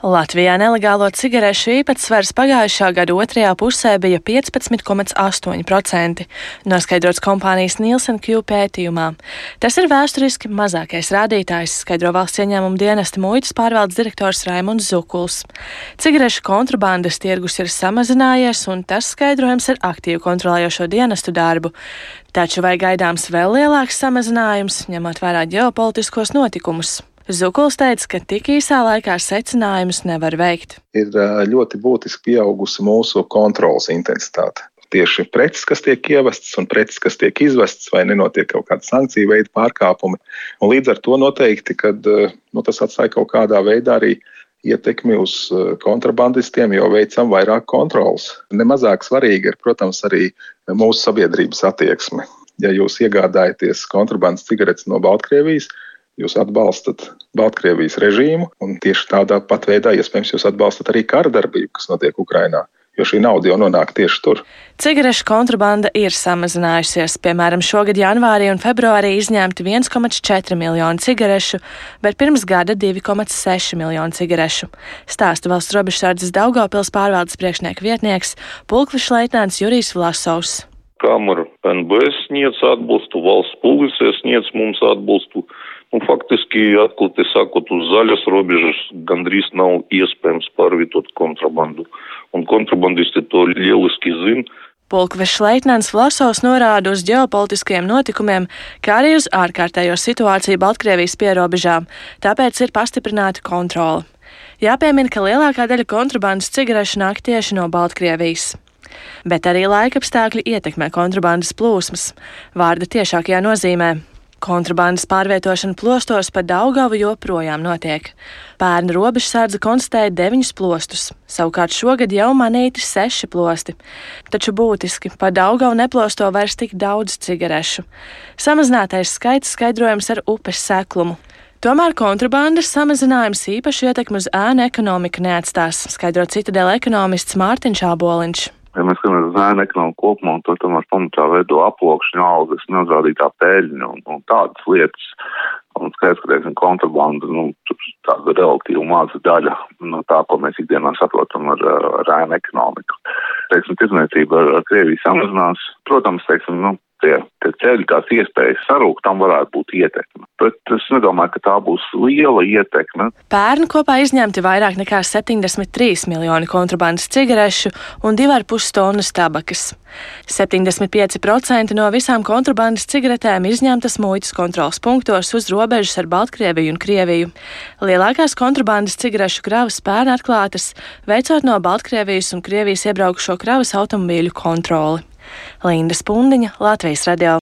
Latvijā nelegālo cigarešu īpatsvars pagājušā gada otrajā pusē bija 15,8%, noskaidrots kompānijas Nielsen Q pētījumā. Tas ir vēsturiski mazākais rādītājs, skaidro valsts ieņēmuma dienesta muitas pārvaldes direktors Raimunds Zukuls. Cigarešu kontrabandas tirgus ir samazinājies, un tas skaidrojams ar aktīvu kontrolējošo dienestu darbu. Taču vai gaidāms vēl lielāks samazinājums, ņemot vērā ģeopolitiskos notikumus? Zukuls teica, ka tik īsā laikā secinājumus nevar veikt. Ir ļoti būtiski pieaugusi mūsu kontrolas intensitāte. Tieši preces, kas tiek ievestas un preces, kas tiek izvestas, vai nenotiek kaut kāda sankciju veida pārkāpumi. Un līdz ar to noteikti, kad tas atstāja kaut kādā veidā arī ietekmi uz kontrabandistiem, jo veicam vairāk kontrolas. Nemazāk svarīga ir, protams, arī mūsu sabiedrības attieksme. Ja jūs iegādājaties kontrabandas cigaretes no Baltkrievijas, jūs atbalstat Baltkrievijas režīmu, un tieši tādā pat veidā, iespējams, jūs atbalstat arī kara darbību, kas notiek Ukrainā, jo šī nauda jau nonāk tieši tur. Cigarešu kontrabanda ir samazinājusies. Piemēram, šogad janvārī un februārī izņemti 1,4 miljonu cigarešu, bet pirms gada 2,6 miljonu cigarešu. Stāsta valsts robežsardzes Daugavpils pārvaldes priekšnieka vietnieks, pulkveža leitnants Jurijs Vlasovs. Kamera NBS sniedz atbalstu, valsts policija sniedz mums atbalstu. Faktiski, atklāti sakot, uz zaļas robežas gandrīz nav iespējams pārvietot kontrabandu. Un kontrabandisti to lieliski zina. Pulkveža leitnants Vlasovs norāda uz ģeopolitiskajiem notikumiem, kā arī uz ārkārtējo situāciju Baltkrievijas pierobežām, tāpēc ir pastiprināta kontrole. Jāpiemina, ka lielākā daļa kontrabandas cigarešu nāk tieši no Baltkrievijas. Bet arī laikapstākļi ietekmē kontrabandas plūsmas, vārda tiešākajā nozīmē. Kontrabandas pārvietošana plostos pa Daugavu joprojām notiek. Pērn robežsardze konstatēja 9 plostus, savukārt šogad jau manīti 6 plosti. Taču būtiski pa Daugavu neplosto vairs tik daudz cigarešu. Samazinātais skaits skaidrojams ar upes seklumu. Tomēr kontrabandas samazinājums īpaši ietekmi uz ēnu ekonomiku neatstās, skaidro Citadela ekonomists Mārtiņš Āboliņš. Ja mēs skatāmies uz ēnu ekonomiku kopumā, un to tomēr pamatā veido aploksņu, algas, neuzrādītā peļņa un tādas lietas. Un skaidrs, ka, teiksim, kontrabanda, tāda relatīvi maza daļa no tā, ko mēs ikdienā saprotam ar ēnu ekonomiku. Teiksim, tirdzniecība ar Krieviju samazinās. Protams, teiksim, tie ceļi, tās iespējas sarūkt, tam varētu būt ietekme. Bet es nedomāju, ka tā būs liela ietekme. Pērn kopā izņemti vairāk nekā 73 miljoni kontrabandas cigarešu un 2,5 tonnas tabakas. 75% no visām kontrabandas cigaretēm izņemtas muitas kontroles punktos uz robežas ar Baltkrieviju un Krieviju. Lielākās kontrabandas cigarešu kravas pērn atklātas, veicot no Baltkrievijas un Krievijas iebraukušo kravas automobīļu kontroli. Linda Spundiņa, Latvijas radio.